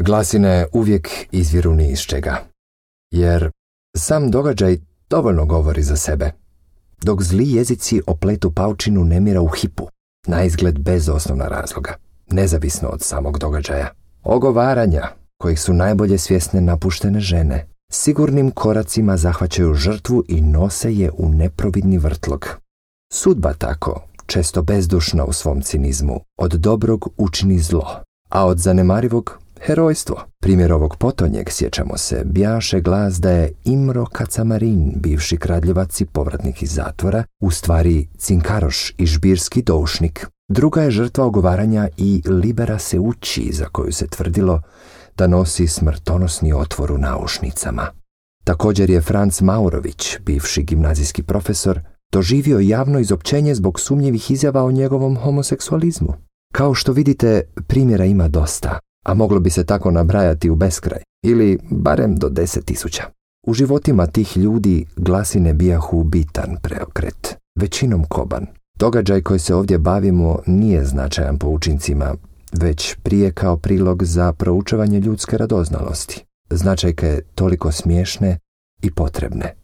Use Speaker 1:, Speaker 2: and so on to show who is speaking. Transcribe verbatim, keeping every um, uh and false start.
Speaker 1: Glasine uvijek izviru ni iz čega, jer sam događaj dovoljno govori za sebe, dok zli jezici opletu paučinu nemira u hipu, na izgled bez osnovna razloga, nezavisno od samog događaja. Ogovaranja, kojih su najbolje svjesne napuštene žene, sigurnim koracima zahvaćaju žrtvu i nose je u neprovidni vrtlog. Sudba tako, često bezdušna u svom cinizmu, od dobrog učini zlo, a od zanemarivog herojstvo. Primjer ovog potonjeg, sjećamo se, bjaše glas da je Imro Kacamarin, bivši kradljevac i povratnik iz zatvora, u stvari cinkaroš i žbirski doušnik. Druga je žrtva ogovaranja i Libera Seucci, za koju se tvrdilo da nosi smrtonosni otvor u naušnicama. Također je Franz Maurović, bivši gimnazijski profesor, doživio javno izopćenje zbog sumnjivih izjava o njegovom homoseksualizmu. Kao što vidite, primjera ima dosta, a moglo bi se tako nabrajati u beskraj, ili barem do deset tisuća. U životima tih ljudi glasine bijahu bitan preokret, većinom koban. Događaj koji se ovdje bavimo nije značajan po učincima, već prije kao prilog za proučavanje ljudske radoznalosti. Značajke toliko smiješne i potrebne.